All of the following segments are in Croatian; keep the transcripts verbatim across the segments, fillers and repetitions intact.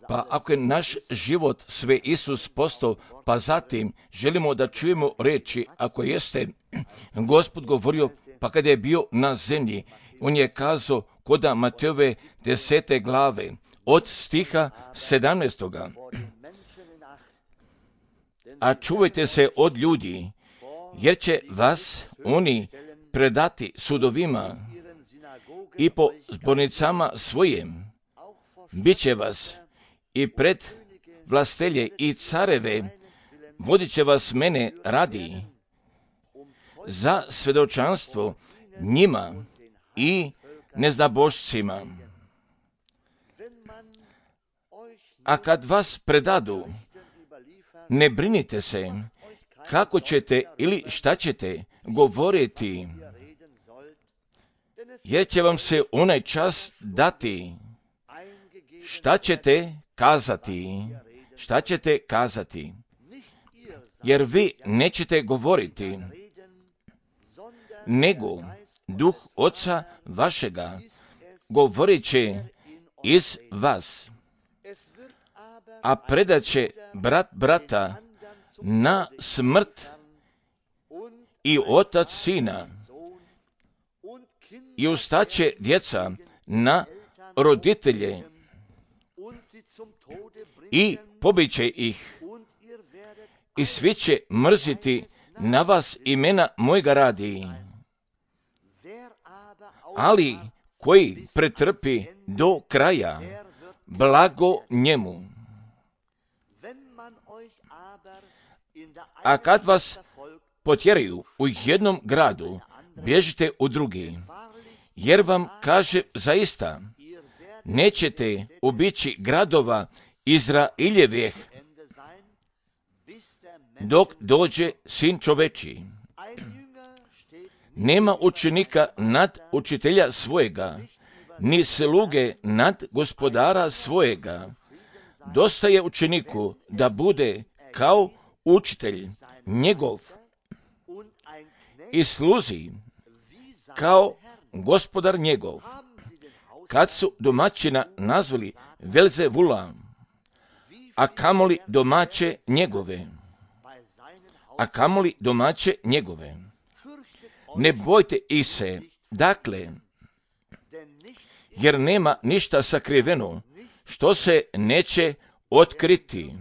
Pa ako je naš život sve Isus postao, pa zatim želimo da čujemo reči, ako jeste Gospod govorio, pa kada je bio na zemlji, on je kazao koda Matejove desete glave, od stiha sedamnaestoga. A čuvajte se od ljudi, jer će vas oni predati sudovima i po zbornicama svojim. Biće vas i pred vlastelje i careve, vodit će vas mene radi za svedočanstvo njima i neznabošcima. A kad vas predadu, ne brinite se kako ćete ili šta ćete govoriti, jer će vam se onaj čas dati šta ćete kazati, šta ćete kazati, jer vi nećete govoriti, nego Duh Oca vašega govorit će iz vas, a predat će brat brata na smrt i otac sina, i ustaće djeca na roditelje i pobiće ih, i svi će mrziti na vas imena mojega radi. Ali koji pretrpi do kraja, blago njemu. A kad vas potjeraju u jednom gradu, bježite u drugi, jer vam kaže zaista, nećete obići gradova Izraeljevih, dok dođe Sin čovečiji. Nema učenika nad učitelja svojega, ni sluge nad gospodara svojega. Dosta je učeniku da bude kao učitelj njegov i sluzi kao gospodar njegov. Kad su domaćina nazvali Velzevula, a kamoli domaće njegove, a kamoli domaće njegove. Ne bojte ih se, dakle, jer nema ništa sakriveno što se neće otkriti,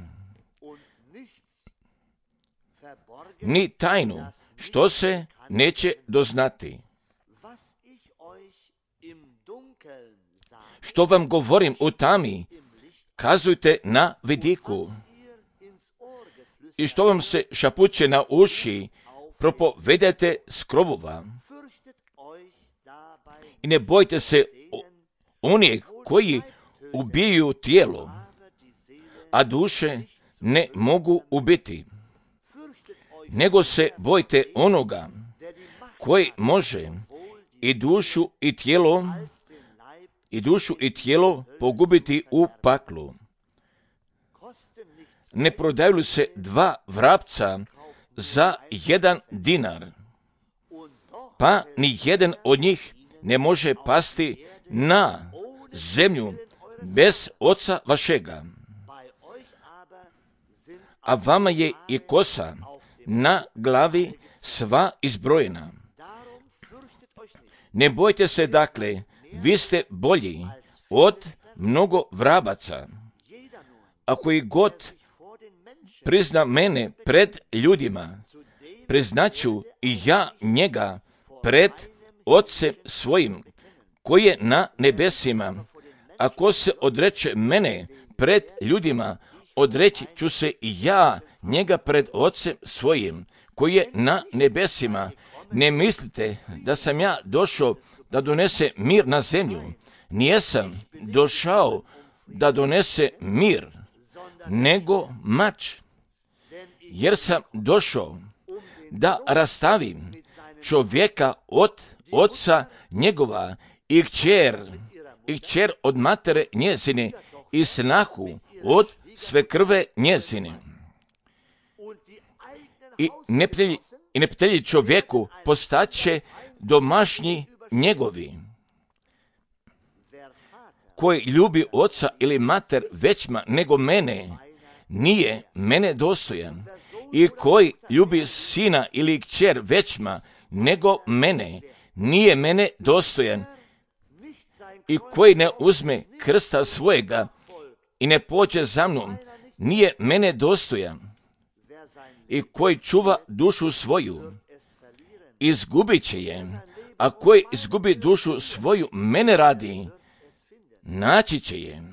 ni tajnu što se neće doznati. Što vam govorim u tami, kazujte na vidiku. I što vam se šapuće na uši, propovedajte s krovova. I ne bojte se onih koji ubijaju tijelo, a duše ne mogu ubiti. Nego se bojte onoga koji može i dušu i tijelo i dušu i tijelo pogubiti u paklu. Ne prodaju se dva vrapca za jedan dinar, pa ni jedan od njih ne može pasti na zemlju bez Oca vašega. A vama je i kosa na glavi sva izbrojena. Ne bojte se dakle, vi ste bolji od mnogo vrabaca. Ako i god prizna mene pred ljudima, priznaću i ja njega pred Otcem svojim, koji je na nebesima. Ako se odreče mene pred ljudima, odreći ću se i ja njega pred Otcem svojim, koji je na nebesima. Ne mislite da sam ja došao da donese mir na zemlju. Nijesam došao da donese mir, nego mač. Jer sam došao da rastavim čovjeka od oca njegova i kćer, i kćer od matere njezine i snahu od svekrve njezine. I neprijatelji, i neprijatelji čovjeku postaće domašnji njegovi. koji ljubi oca ili mater većma nego mene, nije mene dostojan. I koji ljubi sina ili kćer većma nego mene, nije mene dostojan. I koji ne uzme krsta svojega i ne pođe za mnom, nije mene dostojan. I koji čuva dušu svoju, izgubit će je, a koji izgubi dušu svoju mene radi, naći će je.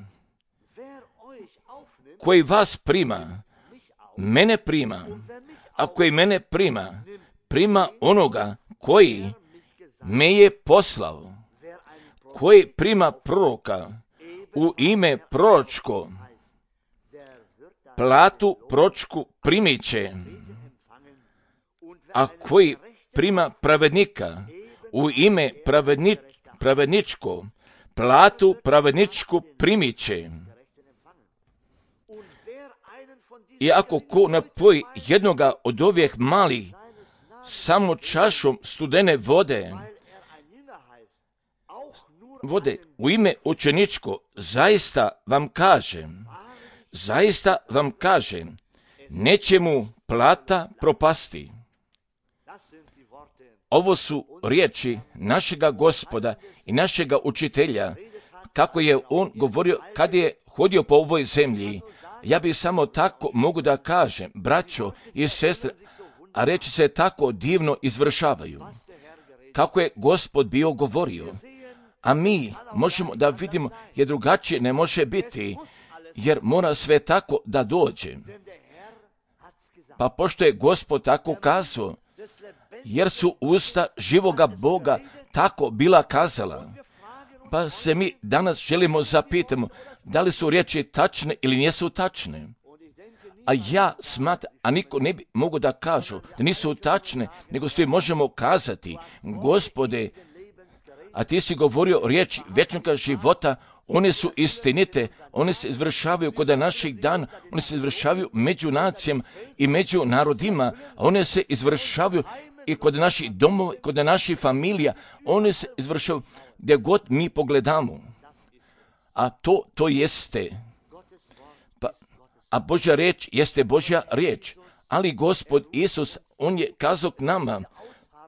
Koji vas prima, mene prima, a koji mene prima, prima onoga koji me je poslao. Koji prima proroka u ime proročko, platu proročku primit će, a koji prima pravednika u ime pravedni, pravedničko, platu pravedničku primit će. I ako ko napoji jednoga od ovih malih samo čašom studene vode, vode u ime učeničko, zaista vam kažem, zaista vam kažem, neće mu plata propasti. Ovo su riječi našega Gospoda i našega učitelja, kako je on govorio kad je hodio po ovoj zemlji. Ja bih samo tako mogu da kažem, braćo i sestre, a reči se tako divno izvršavaju. Kako je Gospod bio govorio, a mi možemo da vidimo jer drugačije ne može biti, jer mora sve tako da dođe. Pa pošto je Gospod tako kazao, jer su usta živoga Boga tako bila kazala, pa se mi danas želimo zapitamo, da li su riječi tačne ili nisu tačne. A ja smatram, a niko ne bi mogu da kažu da nisu tačne, nego svi možemo kazati, Gospode, a ti si govorio riječi vječnog života, one su istinite, one se izvršavaju kod naših dana, one se izvršavaju među nacijama i među narodima, a one se izvršavaju i kod naših domova, kod naših familija, one se izvršavaju gdje god mi pogledamo. A to, to jeste. Pa, a Božja riječ jeste Božja riječ. Ali Gospod Isus, on je kazao k nama,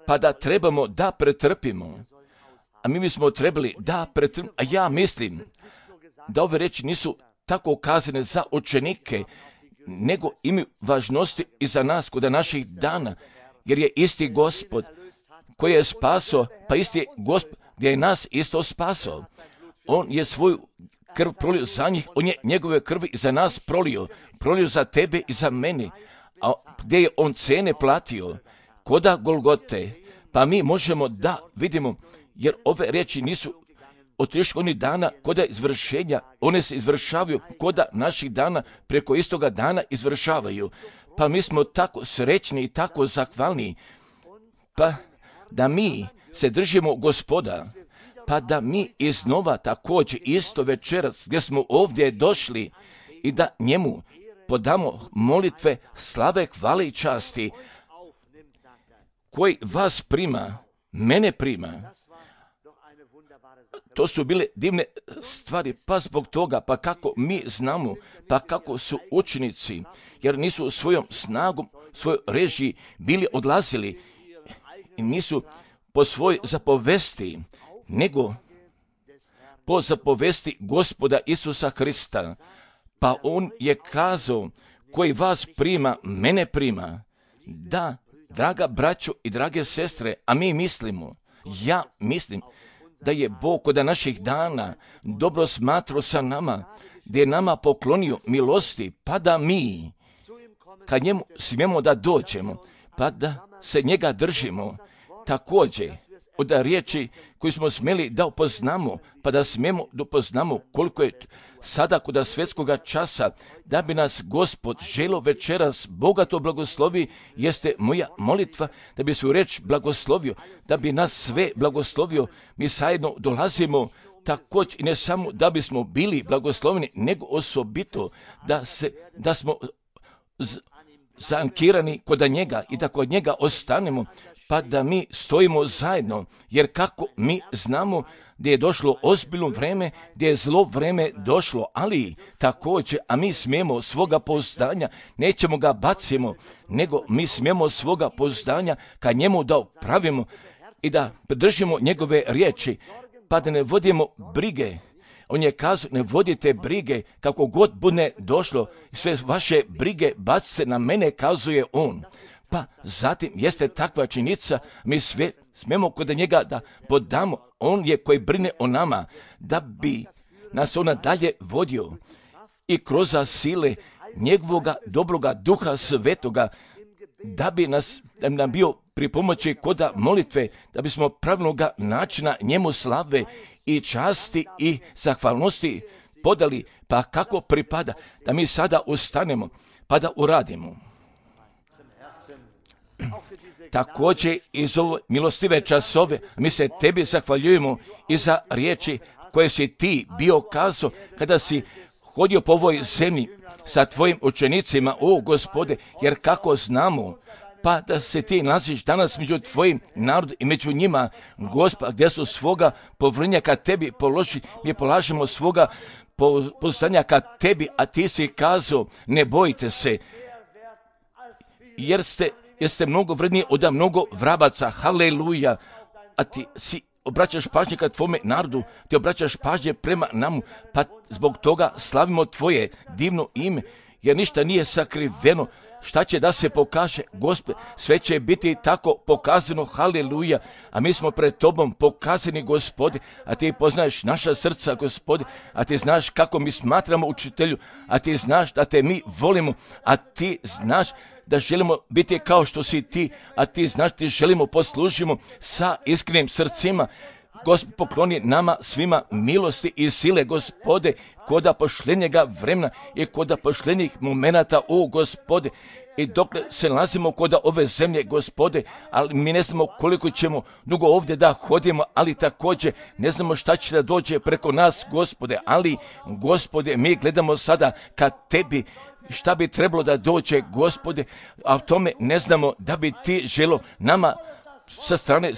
pa da trebamo da pretrpimo. A mi bismo trebali da pretrpimo. A ja mislim da ove riječi nisu tako kazane za učenike, nego imaju važnosti i za nas kod naših dana. Jer je isti Gospod koji je spasao, pa isti je Gospod gdje je nas isto spasao. On je svoju krv prolio za njih, on je njegove krvi za nas prolio, prolio za tebe i za mene. A gdje je on cene platio? Koda Golgote. Pa mi možemo da vidimo, jer ove riječi nisu od onih dana koda izvršenja, one se izvršavaju koda naših dana, preko istoga dana izvršavaju. Pa mi smo tako srećni i tako zahvalni, pa da mi se držimo Gospoda, pa da mi iznova također isto večeras gdje smo ovdje došli i da njemu podamo molitve slave, hvale i časti, koji vas prima, mene prima. To su bile divne stvari, pa zbog toga, pa kako mi znamo, pa kako su učenici, jer nisu svojom snagom, svojoj režiji bili odlazili i nisu po svoj zapovesti, nego po zapovesti Gospoda Isusa Hrista. Pa on je kazao, koji vas prima, mene prima. Da, draga braćo i drage sestre, a mi mislimo, ja mislim, da je Bog kod naših dana dobro smatrao sa nama, gdje je nama poklonio milosti, pa da mi, kad njemu smijemo da dođemo, pa da se njega držimo, također od riječi koju smo smjeli da upoznamo, pa da smijemo da upoznamo koliko je sada kod svjetskoga časa, da bi nas Gospod želo večeras bogato blagoslovi, jeste moja molitva, da bi svoju reč blagoslovio, da bi nas sve blagoslovio. Mi zajedno dolazimo također i ne samo da bismo bili blagosloveni, nego osobito da, se, da smo z, zaankirani kod njega i da kod njega ostanemo, pa da mi stojimo zajedno, jer kako mi znamo gdje je došlo ozbiljno vreme, gdje je zlo vreme došlo, ali također, a mi smijemo svoga pouzdanja, nećemo ga bacimo, nego mi smijemo svoga pouzdanja ka njemu da pravimo i da držimo njegove riječi, pa da ne vodimo brige. On je kazao, ne vodite brige, kako god bude došlo, sve vaše brige bacite na mene, kazuje on. Pa zatim jeste takva činjenica, mi sve smijemo kod njega da podamo, on je koji brine o nama, da bi nas ona dalje vodio i kroz sile njegovoga dobroga duha svetoga, da bi nas, da bi nam bio pri pomoći koda molitve, da bismo pravilnoga načina njemu slave i časti i zahvalnosti podali, pa kako pripada, da mi sada ustanemo, pa da uradimo. Također iz ove milostive časove mi se tebi zahvaljujemo i za riječi koje si ti bio kazao kada si hodio po ovoj zemlji sa tvojim učenicima, o Gospode, jer kako znamo, pa da se ti nalaziš danas među tvojim narodom i među njima, Gospod, gdje su svoga povrnja ka tebi položi, mi polažemo svoga poznanja ka tebi, a ti si kazao, ne bojte se, jer ste, jer ste mnogo vredniji od mnogo vrabaca, haleluja, a ti si obraćaš pažnje ka tvome narodu, ti obraćaš pažnje prema namu, pa zbog toga slavimo tvoje divno ime, jer ništa nije sakriveno. Šta će da se pokaže, Gospod, sve će biti tako pokazano, haleluja, a mi smo pred tobom pokazani, Gospode, a ti poznaješ naša srca, Gospode, a ti znaš kako mi smatramo učitelju, a ti znaš da te mi volimo, a ti znaš da želimo biti kao što si ti, a ti znaš da ti želimo poslužimo sa iskrenim srcima. Gospod, pokloni nama svima milosti i sile, Gospode, koda pošljenjega vremena i koda pošljenjih momenata, o Gospode, i dok se nalazimo koda ove zemlje, Gospode, ali mi ne znamo koliko ćemo dugo ovdje da hodimo, ali također ne znamo šta će da dođe preko nas, Gospode, ali, Gospode, mi gledamo sada ka tebi, šta bi trebalo da dođe, Gospode, a o tome ne znamo da bi ti želo nama sa strane,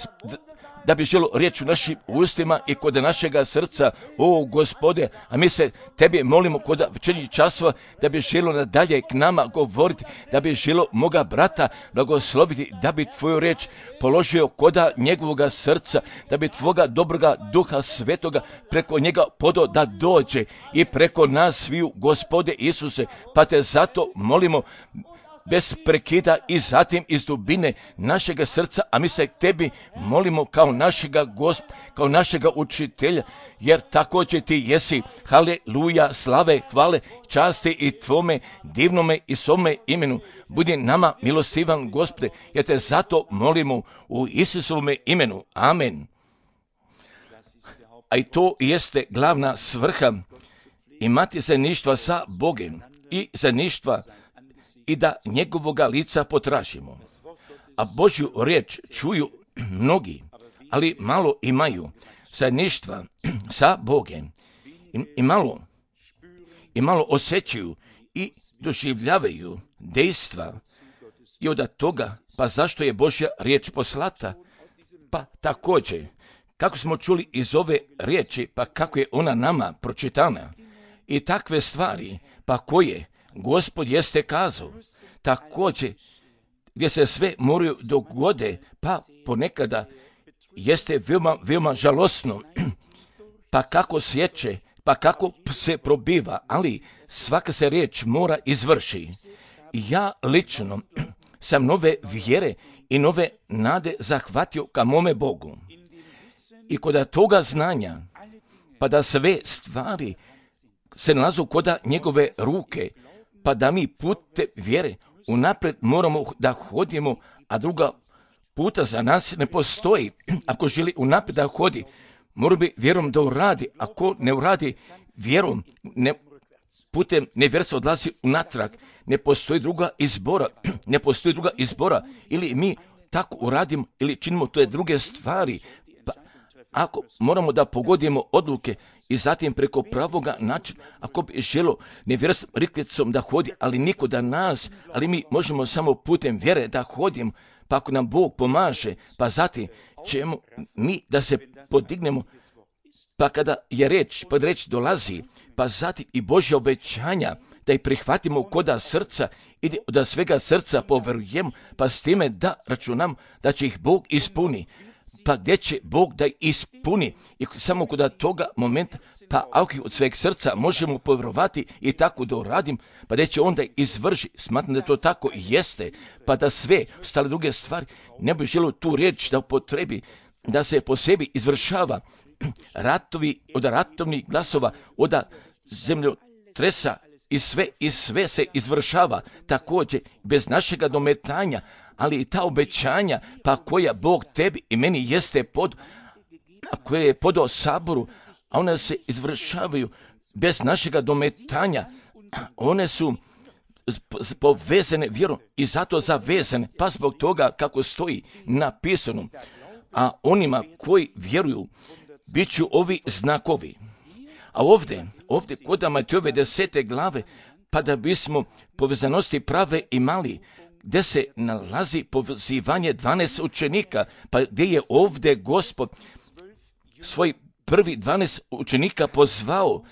da bi želo riječ u našim ustima i kod našega srca, o Gospode, a mi se tebi molimo kod večernjih časova, da bi želo nadalje k nama govoriti, da bi želo moga brata blagosloviti, da bi tvoju riječ položio koda njegovoga srca, da bi tvoga dobroga duha svetoga preko njega podo da dođe i preko nas sviju, Gospode Isuse, pa te zato molimo bez prekida i zatim iz dubine našega srca, a mi se tebi molimo kao našega Gosp, kao našega učitelja, jer također ti jesi, haleluja, slave, hvale, časti i tvome divnome i svome imenu. Budi nama milostivan, Gospode, jer te zato molimo u Isusovome imenu. Amen. A i to jeste glavna svrha, imati zajedništva sa Bogom i zajedništva i da njegovoga lica potražimo. A Božju riječ čuju mnogi, ali malo imaju zajedništva sa Bogom. I, i malo i malo osjećaju i doživljavaju dejstva i od toga, pa zašto je Božja riječ poslata? Pa također, kako smo čuli iz ove riječi, pa kako je ona nama pročitana i takve stvari, pa koje Gospod jeste kazao, također gdje se sve moraju dogode, pa ponekada jeste veoma, veoma žalosno, pa kako sjeće, pa kako se probiva, ali svaka se riječ mora izvrši. Ja lično sam nove vjere i nove nade zahvatio ka mome Bogu. I kod toga znanja, pa da sve stvari se nalazu koda njegove ruke, pa da mi pute vjere unaprijed moramo da hodimo, a druga puta za nas ne postoji. Ako želi unaprijed da hodi, mora bi vjerom da uradi. Ako ne uradi vjerom, ne, putem nevjerstva odlazi unatrag. Ne postoji druga izbora. Ne postoji druga izbora. Ili mi tako uradimo, ili činimo to je druge stvari. Pa ako moramo da pogodimo odluke, i zatim preko pravoga načina, ako bi želo nevjerstvom riklicom da hodi, ali niko da nas, ali mi možemo samo putem vjere da hodimo, pa ako nam Bog pomaže, pa zatim ćemo mi da se podignemo Pa kada je reč, pa reč dolazi, pa zatim i Božja obećanja, da ih prihvatimo koda srca i da svega srca poverujemo, pa s time da računam da će ih Bog ispuni. Pa gdje će Bog da ih ispuni? I samo kod toga momenta, pa ako od sveg srca možemo povjerovati i tako da uradim, pa gdje će onda izvrši. Smatram da to tako jeste, pa da sve ostale druge stvari ne bi želio tu riječ da upotrebi, da se po sebi izvršava ratovi, od ratovnih glasova, od zemljotresa i sve, i sve se izvršava također bez našega dometanja, ali i ta obećanja pa koja Bog tebi i meni jeste pod, a koje je podao saboru, a one se izvršavaju bez našega dometanja, one su povezane vjerom i zato zavezane, pa zbog toga kako stoji napisano, a onima koji vjeruju bit ću ovi znakovi. A ovdje, ovdje kod Matejove desete glave, pa da bismo povezanosti prave imali, gdje se nalazi pozivanje dvanaest učenika, pa gdje je ovdje Gospod svoj prvi dvanaest učenika pozvao,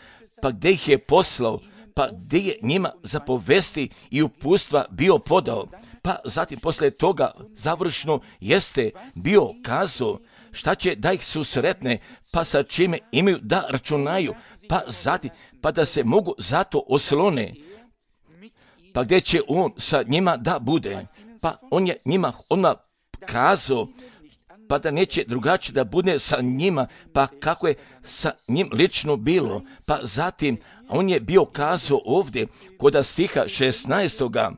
pa gdje ih je poslao, pa gdje je njima zapovesti i upustva bio podao, pa zatim poslije toga završno jeste bio kazao šta će da ih susretne, pa sa čime imaju da računaju, pa zatim, pa da se mogu zato oslone, pa gdje će on sa njima da bude, pa on je njima odmah kazao, pa da neće drugačije da bude sa njima, pa kako je sa njim lično bilo, pa zatim on je bio kazao ovdje kod stiha šesnaestoga.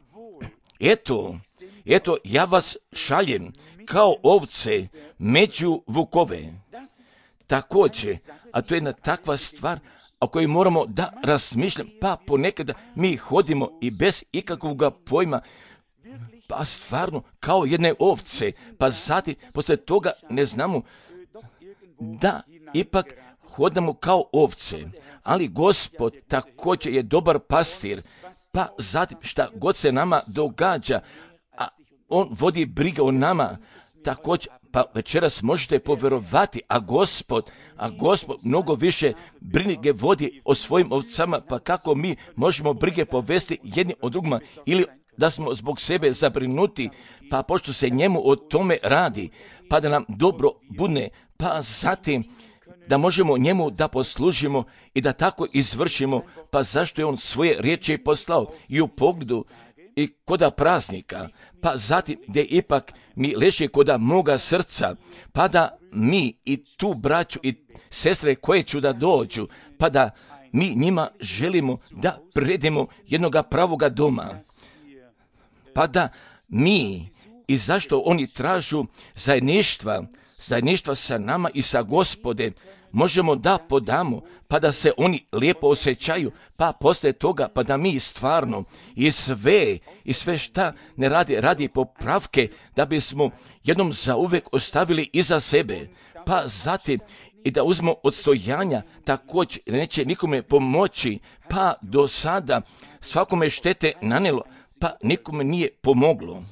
Eto, eto ja vas šaljem kao ovce među vukove. Također, a to je jedna takva stvar o kojoj moramo da razmišljamo, pa ponekada mi hodimo i bez ikakvog pojma, pa stvarno kao jedne ovce, pa zatim poslije toga ne znamo da ipak hodamo kao ovce, ali Gospod također je dobar pastir, pa zatim šta god se nama događa, a on vodi brige o nama, također, pa večeras možete povjerovati, a Gospod, a Gospod mnogo više brige vodi o svojim ovcama, pa kako mi možemo brige povesti jedni od drugima, ili da smo zbog sebe zabrinuti, pa pošto se njemu o tome radi, pa da nam dobro bude, pa zatim da možemo njemu da poslužimo i da tako izvršimo, pa zašto je on svoje riječi poslao i u pogledu i koda praznika, pa zatim gdje ipak mi leži koda moga srca, pa da mi i tu braću i sestre koje ću da dođu, pa da mi njima želimo da predemo jednoga pravoga doma, pa da mi i zašto oni tražu zajedništva, zajedništva sa nama i sa Gospodem, možemo da podamo, pa da se oni lijepo osjećaju, pa poslije toga, pa da mi stvarno i sve, i sve šta ne radi, radi popravke, da bismo jednom zauvek ostavili iza sebe, pa zatim i da uzmo odstojanja, također neće nikome pomoći, pa do sada svakome štete nanijelo, pa nikome nije pomoglo.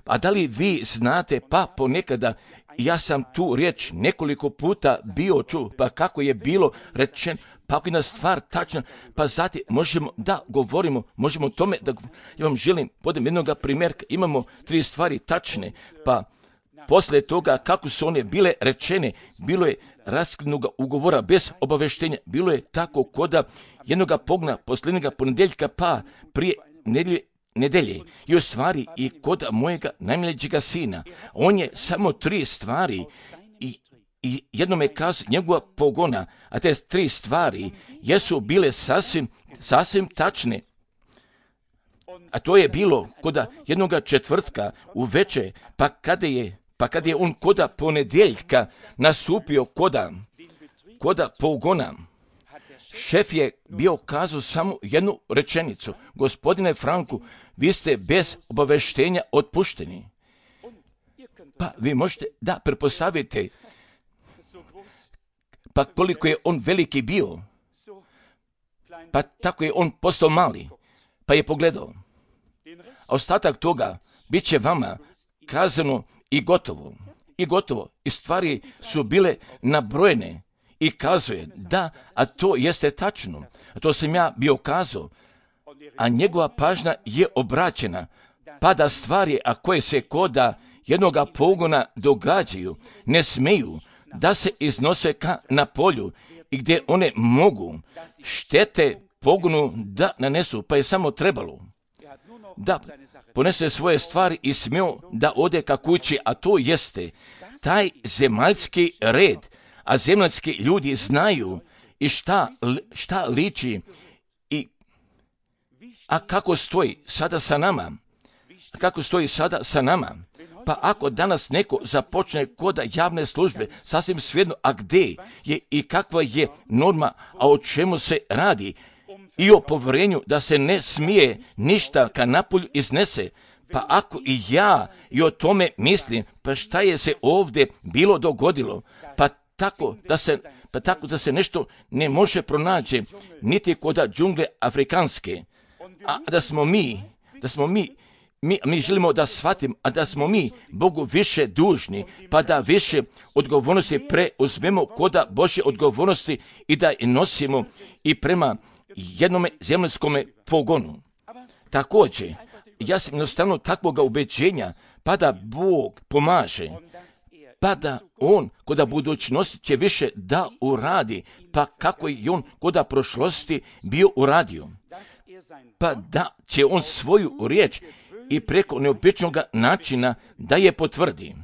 A da li vi znate, pa ponekada ja sam tu riječ nekoliko puta bio čuo, pa kako je bilo rečeno, pa ako je jedna stvar tačna, pa zatim možemo da govorimo, možemo o tome da ja vam želim, podem jednoga primjerka, imamo tri stvari tačne, pa poslije toga kako su one bile rečene, bilo je raskidnog ugovora bez obaveštenja, bilo je tako koda jednoga pogna posljednjega ponedjeljka, pa prije nedjelje, nedelje i u stvari i kod mojega najmlađega sina. On je samo tri stvari i, i jednom je kazao njegova pogona, a te tri stvari jesu bile sasvim, sasvim tačne. A to je bilo kod jednoga četvrtka u večer, pa kada je, pa kada je on koda ponedjeljka nastupio koda, koda pogona, šef je bio kazao samo jednu rečenicu: gospodine Franku, vi ste bez obaveštenja otpušteni. Pa vi možete da pretpostavite, pa koliko je on veliki bio, pa tako je on postao mali, pa je pogledao. A ostatak toga bit će vama kazano i gotovo. I gotovo. I stvari su bile nabrojene i kazuje, da, a to jeste tačno, a to sam ja bio kazao, a njegova pažnja je obraćena, pa da stvari, a koje se koda jednoga pogona događaju, ne smeju da se iznose ka na polju i gdje one mogu štete pogonu da nanesu, pa je samo trebalo da ponese svoje stvari i smio da ode ka kući, a to jeste taj zemaljski red, a zemaljski ljudi znaju i šta, šta liči i a kako stoji sada sa nama, a kako stoji sada sa nama. Pa ako danas neko započne koda javne službe, sasvim svejedno, a gdje je i kakva je norma, a o čemu se radi, i o povjerenju da se ne smije ništa ka napolju iznese, pa ako i ja i o tome mislim, pa šta je se ovdje bilo dogodilo, pa tako da se, pa tako da se nešto ne može pronaći, niti koda džungle afrikanske, a da smo mi, da smo mi, Mi, mi želimo da shvatimo, a da smo mi Bogu više dužni, pa da više odgovornosti preuzmemo koda Božje odgovornosti i da je nosimo i prema jednome zemaljskome pogonu. Također, ja sam jednostavno takvoga ubeđenja, pa da Bog pomaže, pa da On koda budućnosti će više da uradi, pa kako je On koda prošlosti bio uradio, pa da će On svoju riječ i preko neobičnog načina da je potvrdi.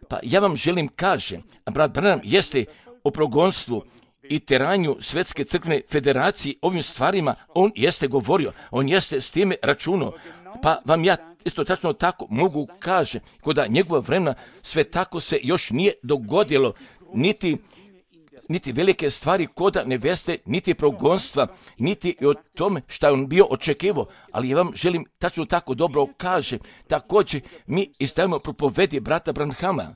Pa ja vam želim kažem, a brat Branham jeste o progonstvu i teranju Svjetske crkvene federacije ovim stvarima, on jeste govorio, on jeste s time računao, pa vam ja isto tačno tako mogu kaže, koda njegova vremena sve tako se još nije dogodilo, niti niti velike stvari koda neveste, niti progonstva, niti i o tome što je on bio očekivao, ali ja vam želim tačno tako dobro kaže, također mi istavimo propovedi brata Branhama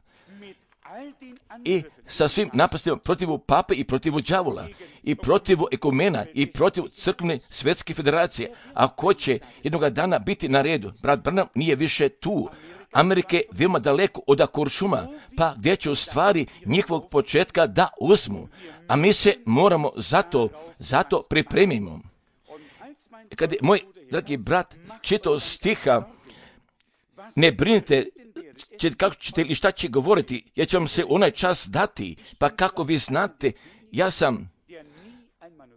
i sa svim napastima protivu pape i protivu đavola i protivu ekumena i protivu crkvene svjetske federacije, a ko će jednoga dana biti na redu, brat Branham nije više tu, Amerike veoma daleko od Akuršuma, pa gdje će u stvari njihovog početka da uzmu, a mi se moramo zato, zato pripremimo. Kad je moj dragi brat čitao stiha, ne brinite će, kako ćete ili šta će govoriti, ja ću vam se onaj čas dati, pa kako vi znate, ja sam,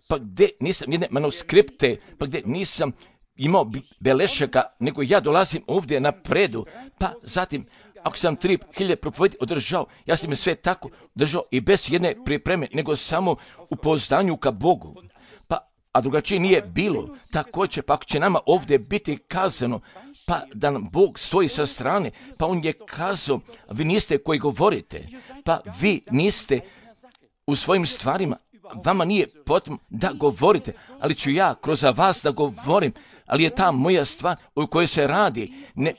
pa gdje nisam jedne manuskripte, pa gdje nisam imao belešaka, nego ja dolazim ovdje na predu, pa zatim, ako sam tri hiljade propovedi održao, ja sam je sve tako držao i bez jedne pripreme, nego samo u pouzdanju ka Bogu. Pa, a drugačije nije bilo. Također, pa ako će nama ovdje biti kazano, pa da nam Bog stoji sa strane, pa on je kazao, vi niste koji govorite, pa vi niste u svojim stvarima, vama nije potrebno da govorite, ali ću ja kroz vas da govorim, ali je ta moja stvar o kojoj se radi. Ne,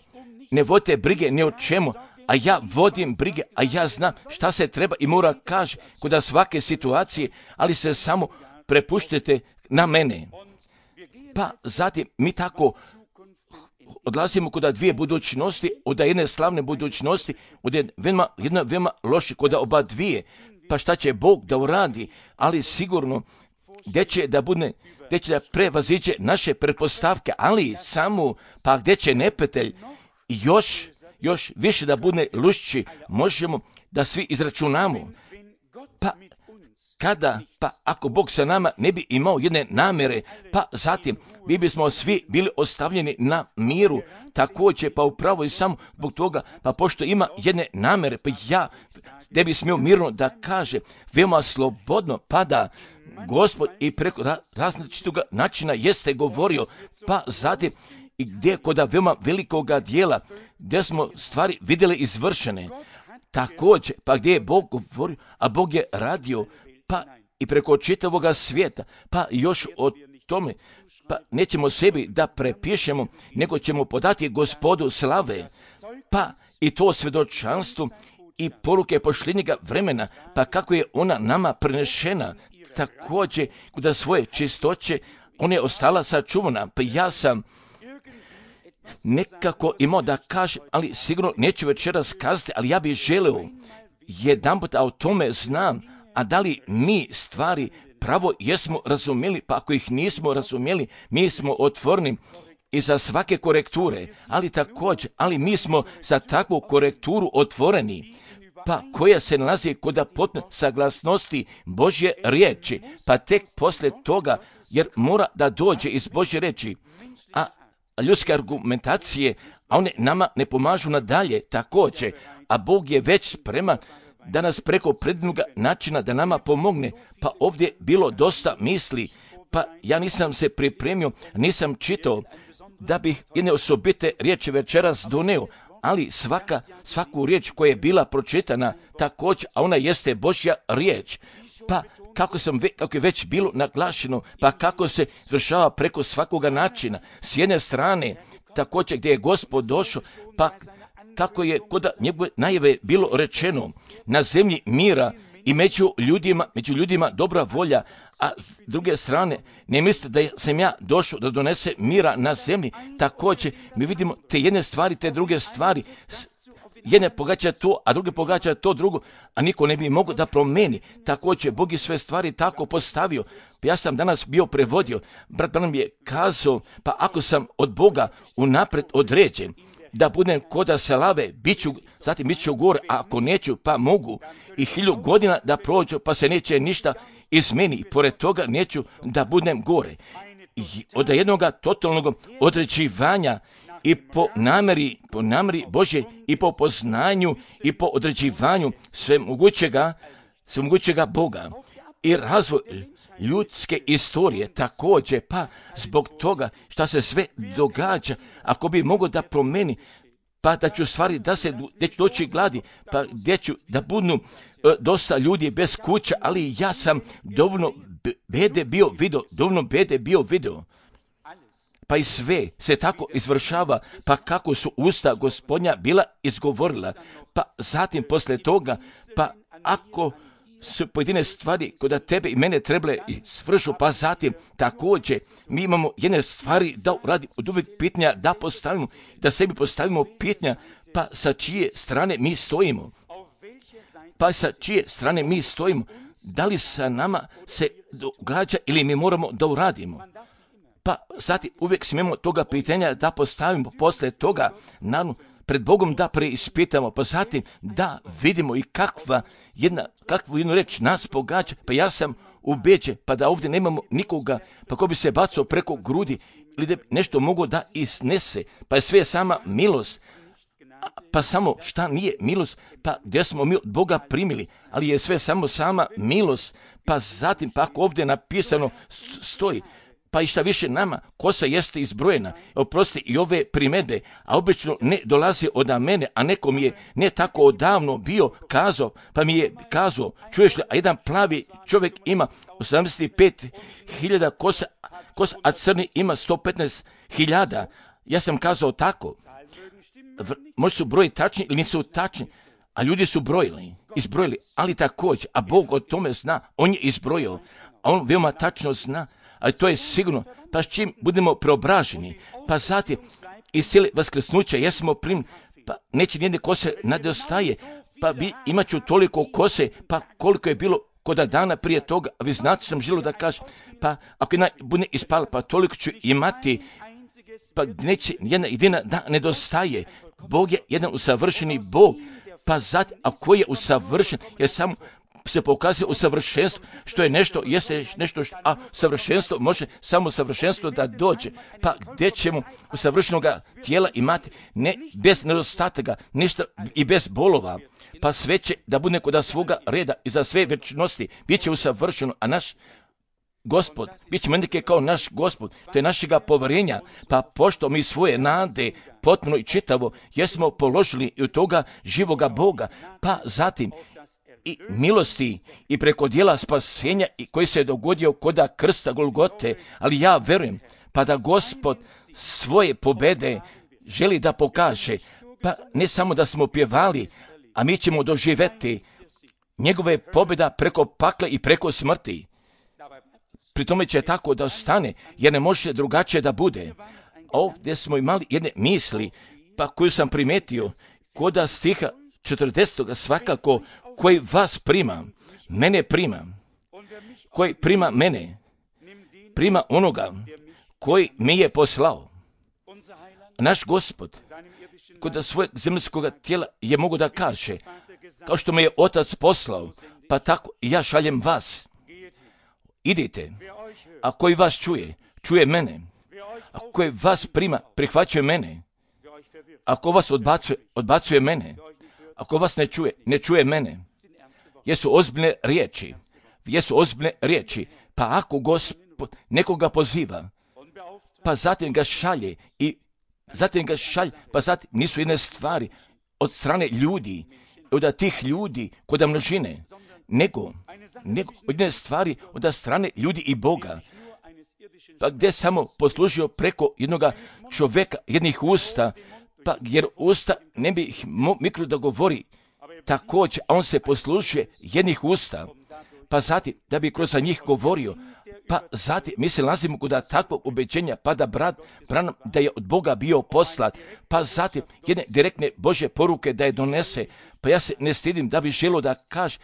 ne vodite brige ni o čemu, a ja vodim brige, a ja znam šta se treba i mora kaže kod svake situacije, ali se samo prepuštite na mene. Pa zatim mi tako odlazimo kod dvije budućnosti, od jedne slavne budućnosti, od jedna, jedna veoma loše kod oba dvije. Pa šta će Bog da uradi, ali sigurno gdje će da bude, gdje će da prevaziđe naše pretpostavke, ali samo, pa gdje će neprijatelj još, još više da bude lušći, možemo da svi izračunamo. Pa kada, pa ako Bog sa nama ne bi imao jedne namere, pa zatim mi bismo svi bili ostavljeni na miru, također, pa upravo i samo zbog toga, pa pošto ima jedne namere, pa ja ne bi smio mirno da kaže, veoma slobodno, pa da Gospod i preko različitog načina jeste govorio, pa zatim i gdje koda veoma velikoga dijela, gdje smo stvari vidjeli izvršene, također, pa gdje je Bog govorio, a Bog je radio, pa i preko čitavoga svijeta, pa još o tome, pa nećemo sebi da prepišemo, nego ćemo podati Gospodu slave, pa i to svjedočanstvo i poruke pošljednjega vremena, pa kako je ona nama prenešena, također kod svoje čistoće, ona je ostala sačuvana, pa ja sam nekako imao da kažem, ali sigurno neću večeras kazati, ali ja bih želeo jedan put, a o tome znam, a da li mi stvari pravo jesmo razumjeli, pa ako ih nismo razumjeli, mi smo otvoreni i za svake korekture, ali također, ali mi smo za takvu korekturu otvoreni, pa koja se nalazi kod potpune saglasnosti Božje riječi, pa tek poslije toga, jer mora da dođe iz Božje riječi, a ljudske argumentacije, a one nama ne pomažu nadalje također, a Bog je već spreman da nas preko predivnoga načina da nama pomogne, pa ovdje bilo dosta misli, pa ja nisam se pripremio, nisam čitao da bih jedne osobite riječi večeras doneo, ali svaka, svaku riječ koja je bila pročitana također, a ona jeste Božja riječ, pa kako, sam, kako je već bilo naglašeno, pa kako se izvršava preko svakoga načina, s jedne strane također gdje je Gospod došao, pa kako je kod njegove najave bilo rečeno, na zemlji mira i među ljudima, među ljudima dobra volja, a s druge strane ne mislite da sam ja došao da donese mira na zemlji. Također mi vidimo te jedne stvari, te druge stvari, jedne pogađa to, a druge pogađa to drugo, a niko ne bi mogao da promeni. Također Bog je sve stvari tako postavio. Ja sam danas bio prevodio, brat nam je kazao, pa ako sam od Boga unapred određen, da budem koda salave, bit ću, zatim bit ću gore, a ako neću, pa mogu i hilju godina da prođu, pa se neće ništa izmeni. Pored toga neću da budem gore. I od jednog totalnog određivanja i po nameri, po nameri Božje i po poznanju i po određivanju svemogućega, svemogućega Boga i razvoj ljudske istorije također, pa zbog toga što se sve događa, ako bi mogao da promeni, pa da ću stvari da se, gdje ću doći gladi, pa gdje ću da budu e, dosta ljudi bez kuća, ali ja sam dovoljno bede bio video, dovoljno bede bio video. Pa i sve se tako izvršava, pa kako su usta Gospodnja bila izgovorila, pa zatim poslije toga, pa ako su pojedine stvari kod tebe i mene trebale i svršu, pa zatim također mi imamo jedne stvari da radi od uvijek pitanja da postavimo, da sebi postavimo pitanja, pa sa čije strane mi stojimo, pa sa čije strane mi stojimo, da li sa nama se događa ili mi moramo da uradimo. Pa zatim uvijek smijemo toga pitanja da postavimo, poslije toga naravno pred Bogom da preispitamo, pa zatim da vidimo i kakva jedna, kakvu jednu reč nas pogađa, pa ja sam ubeđen, pa da ovdje nemamo nikoga, pa ko bi se bacao preko grudi ili da nešto mogo da iznese, pa je sve sama milost, pa samo šta nije milost, pa gdje smo mi od Boga primili, ali je sve samo sama milost, pa zatim pa ako ovdje napisano stoji, pa i šta više nama, kosa jeste izbrojena, oprosti i ove primedbe, a obično ne dolazi od mene, a neko mi je ne tako odavno bio kazao, pa mi je kazao, čuješ li, a jedan plavi čovjek ima osamdeset pet hiljada kosa, kosa, a crni ima sto petnaest hiljada. Ja sam kazao tako, možda su broji tačni ili nisu tačni, a ljudi su brojili, izbrojili, ali također, a Bog o tome zna, on je izbrojio, a on veoma tačno zna, ali to je sigurno, pa s čim budemo preobraženi, pa zatim iz cijele vaskrsnuća jesmo primljeni, pa neće nijedne kose nedostaje, pa bi, imat ću toliko kose, pa koliko je bilo kod dana prije toga, a vi znate sam želio da kažem, pa ako jedna bude ispala, pa toliko ću imati, pa neće jedna jedina da nedostaje. Bog je jedan usavršeni Bog, pa zatim, a koji je usavršen, jer samo se pokazuje u savršenstvu, što je nešto, jeste nešto, što, a savršenstvo može samo savršenstvo da dođe. Pa gdje ćemo u savršenog tijela imati ne bez nedostataka, ništa i bez bolova. Pa sve će da bude kod svoga reda i za sve večnosti, bit će usavršeno, a naš Gospod, bit će menike kao naš Gospod, to je našega poverenja, pa pošto mi svoje nade potpuno i čitavo jesmo položili i u toga živoga Boga, pa zatim i milosti i preko dijela spasenja i koji se je dogodio koda krsta Golgote, ali ja verujem pa da Gospod svoje pobede želi da pokaže, pa ne samo da smo pjevali, a mi ćemo doživjeti njegove pobjeda preko pakla i preko smrti. Pri tome će tako da ostane, jer ne može drugačije da bude. Ovdje smo imali jedne misli, pa koju sam primetio, koda stiha četrdesetog svakako, koji vas prima, mene prima. Koji prima mene, prima onoga koji mi je poslao. Naš Gospod, kod svojeg zemaljskog tijela je mogu da kaže, kao što me je Otac poslao, pa tako i ja šaljem vas. Idite, a koji vas čuje, čuje mene. A koji vas prima, prihvaćuje mene. Ako vas odbacuje, odbacuje mene. Ako vas ne čuje, ne čuje mene. Jesu ozbiljne riječi. Jesu ozbiljne riječi. Pa ako Gospod nekoga poziva, pa zatim ga šalje i zatim ga šalje, pa zatim nisu jedne stvari od strane ljudi, od tih ljudi kod množine, nego, nego od jedne stvari od strane ljudi i Boga. Pa gdje samo poslužio preko jednoga čovjeka, jednih usta, pa jer usta ne bi ih mikro da govori također, a on se poslužuje jednih usta, pa zatim da bi kroz njih govorio, pa zatim mi se nalazimo kod takvog ubeđenja, pa da brat Branham da je od Boga bio poslat, pa zatim jedne direktne Božje poruke da je donese, pa ja se ne stidim da bi želio da kaže,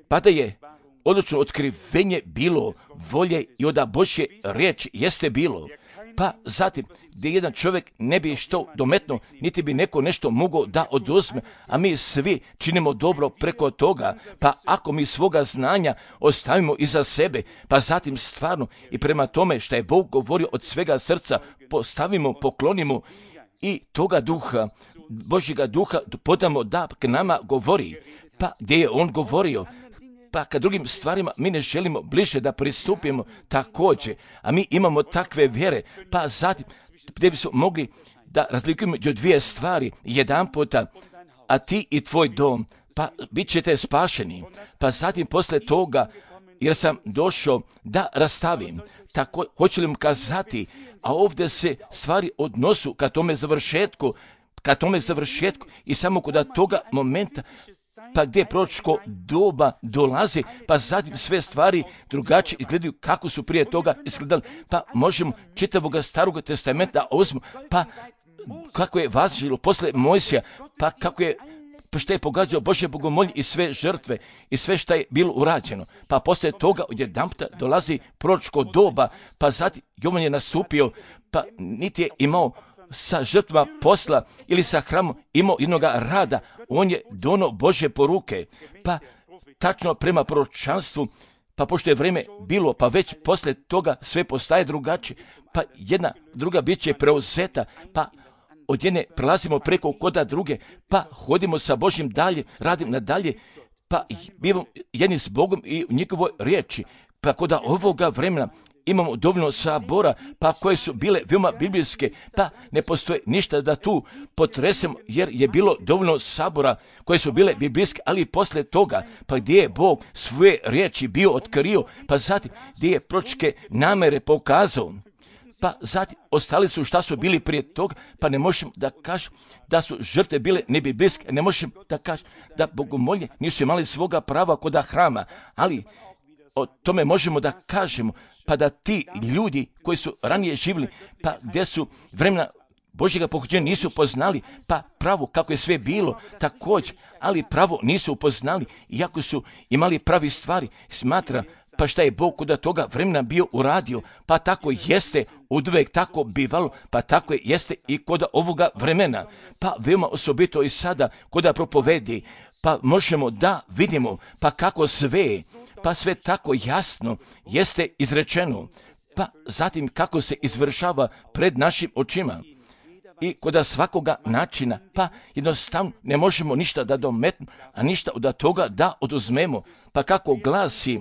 pa da je odlučno otkrivenje bilo volje i od Božje riječi jeste bilo. Pa zatim, gdje jedan čovjek ne bi što dometno, niti bi neko nešto mogao da oduzme, a mi svi činimo dobro preko toga, pa ako mi svoga znanja ostavimo iza sebe, pa zatim stvarno i prema tome što je Bog govorio od svega srca, postavimo, poklonimo i toga duha, Božjega duha podamo da k nama govori, pa gdje je on govorio, pa kad drugim stvarima mi ne želimo bliže da pristupimo također, a mi imamo takve vjere, pa zatim gdje bismo mogli da razlikujemo među dvije stvari, jedan puta, a ti i tvoj dom, pa bit ćete spašeni, pa zatim posle toga, jer sam došao da rastavim, tako hoću li mu kazati, a ovdje se stvari odnosu ka tome završetku, ka tome završetku i samo kod toga momenta, pa gdje proročko doba dolazi, pa zatim sve stvari drugačije izgledaju kako su prije toga izgledali, pa možemo čitavog starog testamenta uzmu, pa kako je važilo posle Mojsija, pa kako je pa što je pogađao Božje bogomolje i sve žrtve i sve što je bilo urađeno. Pa poslije toga odjedanputa dolazi proročko doba, pa zatim Jovan je nastupio, pa niti je imao sa žrtvama posla ili sa hramom imao jednoga rada, on je dono Božje poruke, pa tačno prema proročanstvu, pa pošto je vrijeme bilo, pa već poslije toga sve postaje drugačije, pa jedna druga bit će preuzeta, pa od jedne prelazimo preko koda druge, pa hodimo sa Božjim dalje, radim nadalje, pa bivamo jedni s Bogom i u njegovoj riječi, pa kod ovoga vremena imamo dovoljno sabora, pa koje su bile veoma biblijske, pa ne postoje ništa da tu potresemo, jer je bilo dovoljno sabora koje su bile biblijske, ali posle toga, pa gdje je Bog svoje riječi bio otkrio, pa zatim gdje je proročke namere pokazao, pa zatim ostali su šta su bili prije toga, pa ne možemo da kažemo da su žrtve bile nebiblijske, ne možemo da kažemo da bogomolje nisu imali svoga prava kod hrama, ali o tome možemo da kažemo, pa da ti ljudi koji su ranije živjeli, pa gdje su vremena Božjega pohođenja nisu poznali, pa pravo kako je sve bilo također, ali pravo nisu upoznali, iako su imali pravi stvari, smatra, pa šta je Bog kod toga vremena bio uradio, pa tako jeste oduvek tako bivalo, pa tako jeste i kod ovoga vremena, pa veoma osobito i sada kod propovedi, pa možemo da vidimo, pa kako sve, pa sve tako jasno jeste izrečeno, pa zatim kako se izvršava pred našim očima. I kod svakoga načina, pa jednostavno ne možemo ništa da dometnemo, a ništa od toga da oduzmemo, pa kako glasi,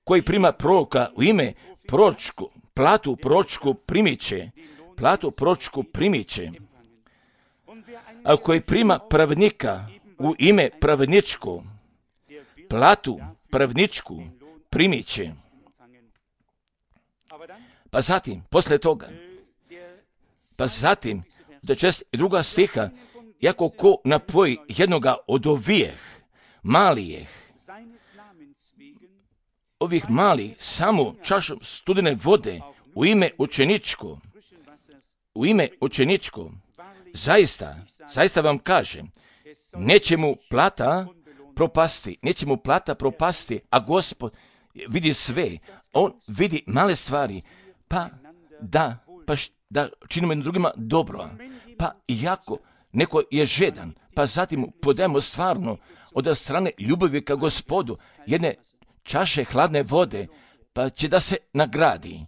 koji prima proroka u ime proročku, platu proročku primiće, platu proročku primiće, a koji prima pravednika u ime pravedničku, platu pravedničku primiće. Pa zatim, posle toga, pa zatim, do čest druga stiha, jako ko napoji jednoga od ovijeh, malijeh, ovih malih, samo čašom studene vode, u ime učeničko, u ime učeničko, zaista, zaista vam kažem, neće mu plata propasti, neće mu plata propasti, a Gospod vidi sve, on vidi male stvari, pa da, pa š, da činimo jednim drugima dobro, pa iako neko je žedan, pa zatim mu podajemo stvarno od strane ljubavi ka Gospodu jedne čaše hladne vode, pa će da se nagradi.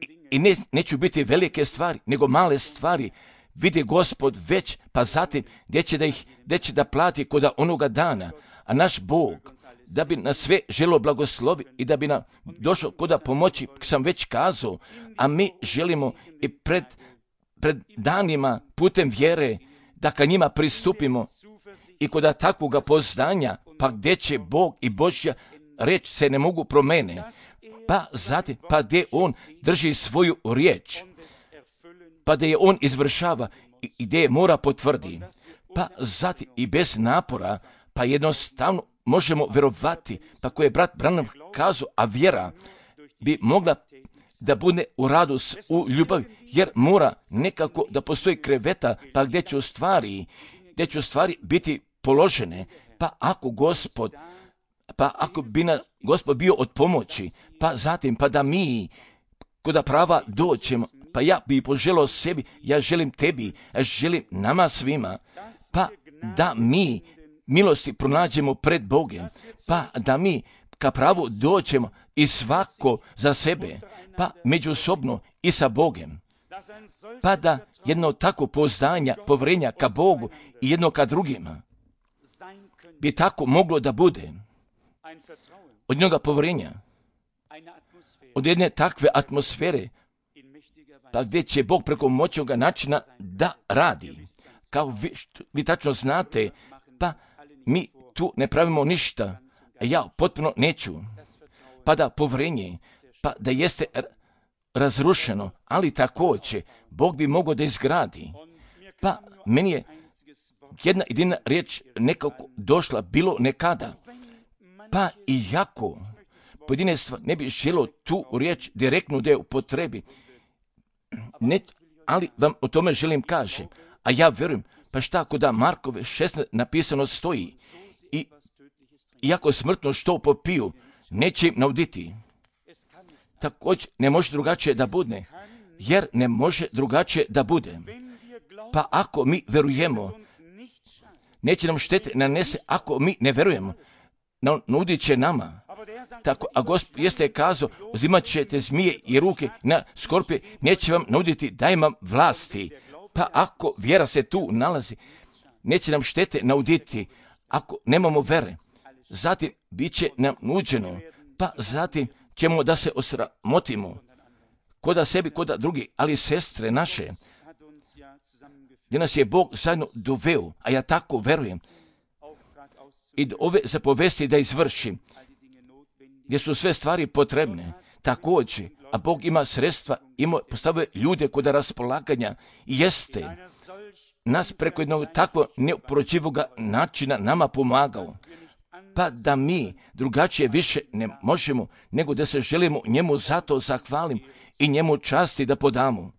I, i ne, neću biti velike stvari, nego male stvari, vidi Gospod već, pa zatim gdje će da ih, gdje će da plati kod onoga dana, a naš Bog, da bi nas sve želo blagoslovi i da bi nam došao koda pomoći, sam već kazao, a mi želimo i pred, pred danima putem vjere da ka njima pristupimo i koda takvoga poznanja, pa gdje će Bog i Božja reč se ne mogu promene, pa zatim, pa gdje on drži svoju riječ, pa da je on izvršava i gdje je mora potvrdi, pa zatim i bez napora, pa jednostavno možemo verovati, pa koje je brat Branham kazao, a vjera bi mogla da bude u radu u ljubavi, jer mora nekako da postoji kreveta, pa gdje će u stvari, gdje će u stvari biti položene, pa ako Gospod, pa ako bi na Gospod bio od pomoći, pa zatim, pa da mi koda prava doćemo, pa ja bi poželao sebi, ja želim tebi, ja želim nama svima, pa da mi milosti pronađemo pred Bogom, pa da mi ka pravu doćemo i svako za sebe, pa međusobno i sa Bogom, pa da jedno tako poznanja, povrenja ka Bogu i jedno ka drugima bi tako moglo da bude od njega povrenja, od jedne takve atmosfere, pa gdje će Bog preko moćnoga načina da radi. Kao vi, vi tačno znate, pa mi tu ne pravimo ništa, a ja potpuno neću, pa da povrenje, pa da jeste razrušeno, ali također Bog bi mogao da izgradi. Pa meni je jedna jedina riječ nekako došla bilo nekada, pa iako pojedine stvari ne bi želo tu riječ direktno da je upotrebi, ne, ali vam o tome želim kažem, a ja vjerujem, pa šta ako da Markove šesnaest napisano stoji, i iako smrtno što popiju, neće im nauditi. Također ne može drugačije da bude, jer ne može drugačije da bude. Pa ako mi verujemo, neće nam štete nanese ako mi ne verujemo, nudit će nama. Tako, a Gospod jeste kazao, uzimat ćete zmije i ruke na skorpije, neće vam nuditi, daj vam vlasti. Pa ako vjera se tu nalazi, neće nam štete nauditi, ako nemamo vere. Zatim bit će nam nuđeno, pa zatim ćemo da se osramotimo, koda sebi, koda drugi, ali sestre naše, gdje nas je Bog zajedno doveo, a ja tako verujem, i do ove zapovesti da izvršim, gdje su sve stvari potrebne, također, a Bog ima sredstva, ima postavuje ljude kod raspolaganja, i jeste nas preko jednog takvog neoporočivog načina nama pomagao, pa da mi drugačije više ne možemo, nego da se želimo njemu zato zahvalim i njemu časti da podamo.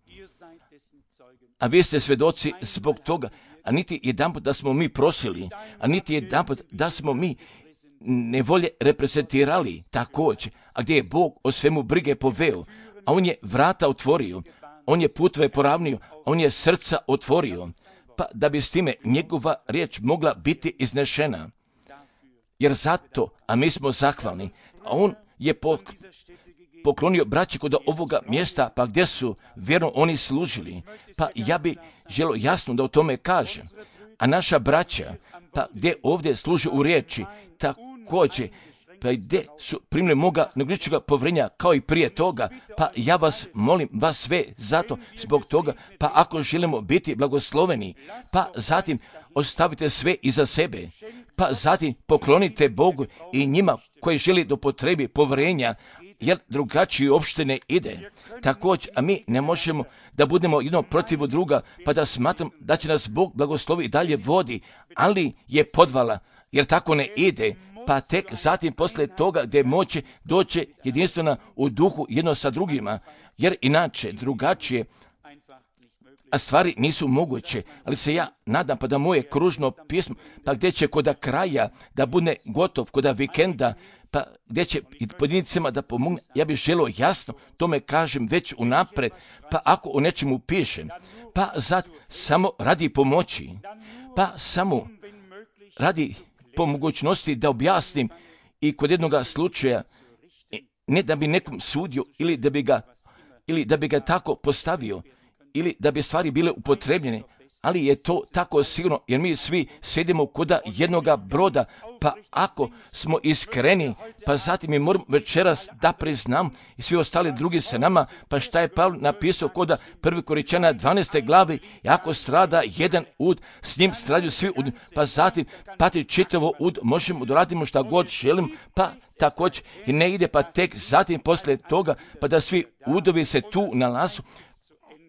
A vi ste svjedoci zbog toga, a niti jedanput da smo mi prosili, a niti jedanput da smo mi nevolje reprezentirali također, a gdje je Bog o svemu brige poveo, a on je vrata otvorio, on je putove poravnio, on je srca otvorio, pa da bi s time njegova riječ mogla biti iznešena. Jer zato, a mi smo zahvalni, a on je poklonio braći kod ovoga mjesta, pa gdje su vjerno oni služili, pa ja bi želio jasno da o tome kažem. A naša braća, pa gdje ovdje služe u riječi, također, pa gdje su primili moga negličega povrenja kao i prije toga, pa ja vas molim, vas sve zato zbog toga, pa ako želimo biti blagosloveni, pa zatim ostavite sve iza sebe, pa zatim poklonite Bogu i njima koji želi do potrebi povrenja, jer drugačije uopšte ne ide. Također, a mi ne možemo da budemo jedno protiv druga, pa da smatram da će nas Bog blagoslovi i dalje vodi, ali je podvala, jer tako ne ide, pa tek zatim posle toga gdje moće doće jedinstvena u duhu jedno sa drugima, jer inače drugačije a stvari nisu moguće, ali se ja nadam pa da moje kružno pismo, pa gdje će koda kraja da bude gotov, koda vikenda, pa gdje će i pojedincima da pomogne, ja bih želio jasno, tome kažem već unapred, pa ako o nečemu pišem, pa zad samo radi pomoći, pa samo radi po mogućnosti da objasnim i kod jednoga slučaja, ne da bi nekom sudio ili da bi ga, ili da bi ga tako postavio, ili da bi stvari bile upotrebljene, ali je to tako sigurno, jer mi svi sjedimo koda jednoga broda, pa ako smo iskreni, pa zatim mi moramo večeras da priznam i svi ostali drugi sa nama, pa šta je Pavle napisao koda prvi Korinćana dvanaeste glavi, ako strada jedan ud, s njim stradaju svi ud, pa zatim pati čitavo ud, možemo da radimo šta god želim, pa također i ne ide, pa tek zatim poslije toga, pa da svi udovi se tu nalazu,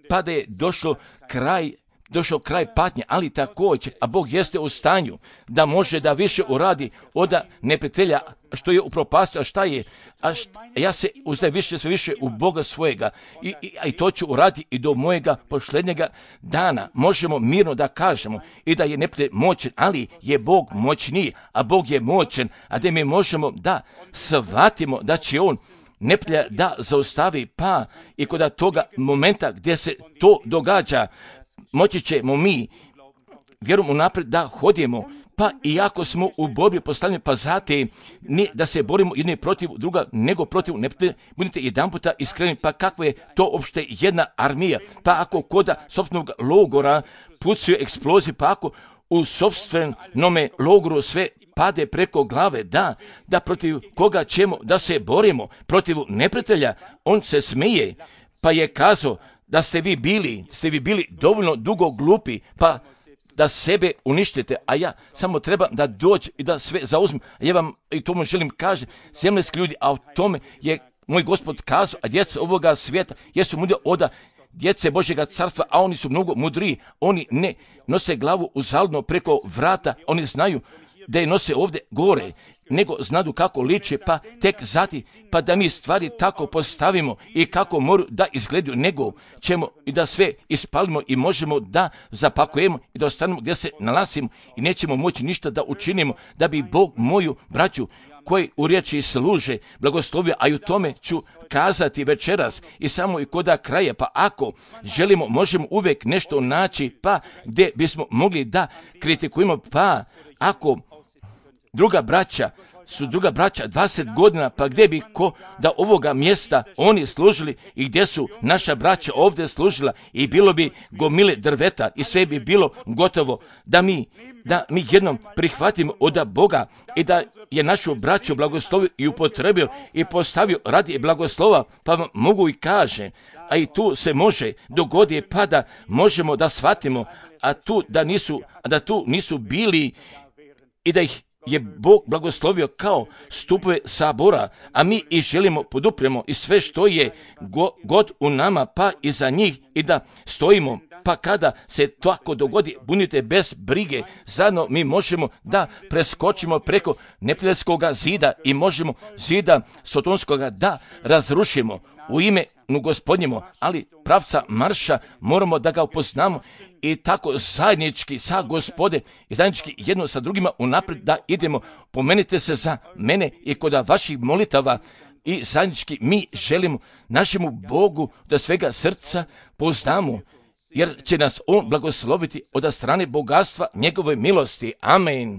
pa da je došlo kraj, došao kraj patnje, ali također, a Bog jeste u stanju da može da više uradi od neprijatelja što je upropastio, a šta je, a šta, ja se uzdajem više sve više u Boga svojega i, i, i to ću uraditi i do mojega posljednjega dana. Možemo mirno da kažemo i da je neprijatelj moćan, ali je Bog moćniji, a Bog je moćan, a da mi možemo da shvatimo da će On neprijatelja da zaustavi, pa i kod toga momenta gdje se to događa, moći ćemo mi, vjerujem unaprijed, da hodimo, pa i ako smo u borbi postavljeni, pa zatim ne da se borimo jedni protiv druga, nego protiv neprijatelja, budite jedan puta iskreni, pa kakva je to uopšte jedna armija, pa ako koda sopstvenog logora pucaju eksplozije, pa ako u sopstvenome logoru sve pade preko glave, da, da protiv koga ćemo da se borimo, protiv neprijatelja, on se smije, pa je kazao da ste vi bili, ste vi bili dovoljno dugo glupi, pa da sebe uništite, a ja samo trebam da dođem i da sve zauzmem. A ja vam i tomu želim kažem, zemljski ljudi, a o tome je moj Gospod kazao, a djeca ovoga svijeta jesu mudri od djece Božjega carstva, a oni su mnogo mudriji. Oni ne nose glavu uzaludno preko vrata, oni znaju da je nose ovdje gore, nego znadu kako liče, pa tek zati, pa da mi stvari tako postavimo i kako moraju da izgledaju, nego ćemo i da sve ispalimo i možemo da zapakujemo i da ostanemo gdje se nalazimo i nećemo moći ništa da učinimo, da bi Bog moju braću koji u riječi služe blagoslovio, a i u tome ću kazati večeras i samo i koda kraja, pa ako želimo, možemo uvijek nešto naći, pa gdje bismo mogli da kritikujemo, pa ako druga braća su druga braća dvadeset godina, pa gdje bi ko da ovoga mjesta oni služili i gdje su naša braća ovdje služila i bilo bi gomile drveta i sve bi bilo gotovo da mi, da mi jednom prihvatimo od Boga i da je našu braću blagoslovio i upotrebio i postavio radi blagoslova, pa vam mogu i kaže, a i tu se može dogodi pa da možemo da shvatimo, a tu da nisu, da tu nisu bili i da ih je Bog blagoslovio kao stupove sabora, a mi i želimo podupremo i sve što je go, god u nama, pa i za njih i da stojimo, pa kada se tako dogodi, budite bez brige, zajedno mi možemo da preskočimo preko neprijateljskog zida i možemo zida sotonskoga da razrušimo u ime Gospodnjemu, ali pravca marša moramo da ga upoznamo i tako zajednički sa Gospode i zajednički jedno sa drugima unaprijed da idemo. Pomenite se za mene i kod vaših molitava i zajednički mi želimo našemu Bogu da svega srca poznamo, jer će nas On blagosloviti od strane bogatstva njegove milosti. Amen.